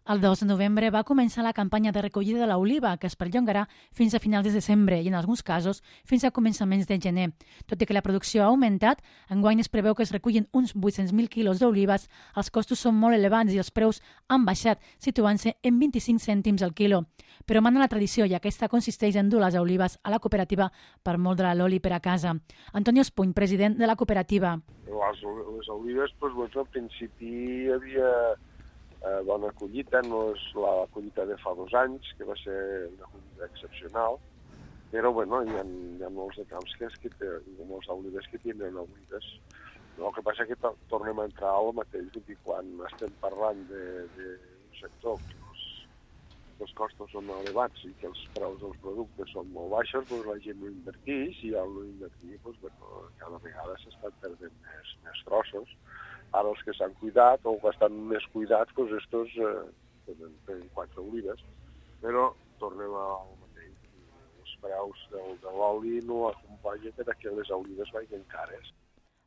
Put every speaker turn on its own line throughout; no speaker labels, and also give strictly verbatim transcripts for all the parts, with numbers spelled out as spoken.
El dos de novembre va començar la campanya de recollida de l'oliva, que es perllongarà fins a finals de desembre i, en alguns casos, fins a començaments de gener. Tot i que la producció ha augmentat, enguany es preveu que es recullin uns vuit-cents mil quilos d'olives, els costos són molt elevats i els preus han baixat, situant-se en vint-i-cinc cèntims al quilo. Però mana la tradició i aquesta consisteix en dur les olives a la cooperativa per moldre l'oli per a casa. Antonio Espuny, president de la cooperativa.
Les, les olives, doncs, doncs, al principi hi havia eh, bona collita, no és la collita de fa dos anys, que va ser una collita excepcional, però bueno, hi ha, hi ha molts de camps que, que té, molts olives que tenen olives. No, el que passa és que tornem a entrar al mateix, i quan estem parlant d'un sector que els, els costos són elevats i que els preus dels productes són molt baixos, doncs la gent no inverteix, i al no invertir, doncs, bueno, cada vegada s'estan perdent més, més trossos. Ara els que s'han cuidat o que estan més cuidats, doncs estos eh, tenen, tenen quatre olives, però tornem al mateix. Els preus del, de l'oli no acompanyen perquè les olives vagin cares.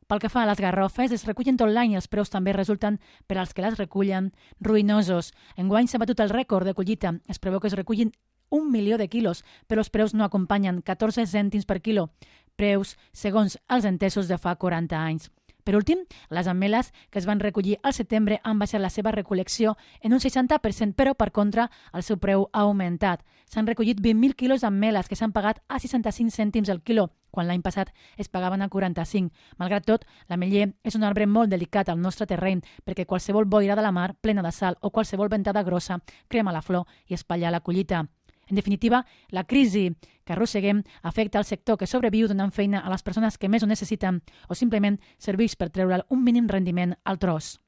Pel que fa a les garrofes, es recullen tot l'any i els preus també resulten, per als que les recullen, ruïnosos. Enguany s'ha batut el rècord de collita. Es preveu que es recullin un milió de quilos, però els preus no acompanyen, catorze cèntims per quilo. Preus segons els entesos de fa quaranta anys. Per últim, les ameles que es van recollir al setembre han baixat la seva recol·lecció en un seixanta per cent, però per contra el seu preu ha augmentat. S'han recollit vint mil quilos d'ameles que s'han pagat a seixanta-cinc cèntims al quilo, quan l'any passat es pagaven a quaranta-cinc. Malgrat tot, l'ametller és un arbre molt delicat al nostre terreny perquè qualsevol boira de la mar plena de sal o qualsevol ventada grossa crema la flor i espatlla la collita. En definitiva, la crisi que arrosseguem afecta al sector que sobreviu donant feina a les persones que més ho necessiten o simplement serveix per treure'l un mínim rendiment al tros.